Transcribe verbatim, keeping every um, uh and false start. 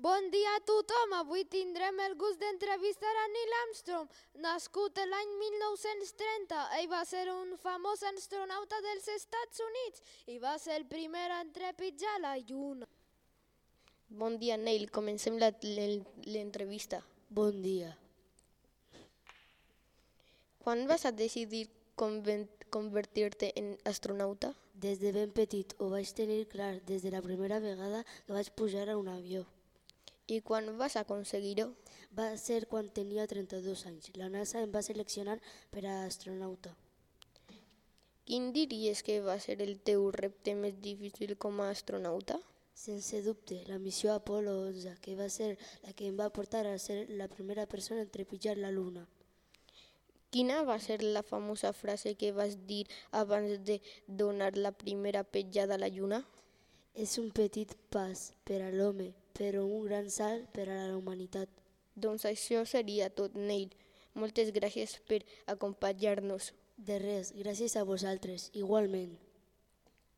Bon dia a tothom, avui tindrem el gust d'entrevistar a Neil Armstrong, nascut l'any mil nou-cents trenta. Ell va ser un famós astronauta dels Estats Units i va ser el primer a trepitjar la Lluna. Bon dia, Neil. Comencem la- l'entrevista. Bon dia. Quan vas a decidir conven- convertir-te en astronauta? Des de ben petit ho vaig tenir clar des de la primera vegada que vaig pujar a un avió. I quan vas aconseguir-ho? Va ser quan tenia trenta-dos anys. La NASA em va seleccionar per a astronauta. Quin diries que va ser el teu repte més difícil com a astronauta? Sense dubte, la missió Apolo onze, que va ser la que em va portar a ser la primera persona en trepitjar la Lluna. Quina va ser la famosa frase que vas dir abans de donar la primera petjada a la Lluna? És un petit pas per a l'home, però un gran salt per a la humanitat. Doncs això seria tot, Neil. Moltes gràcies per acompanyar-nos. De res, gràcies a vosaltres, igualment.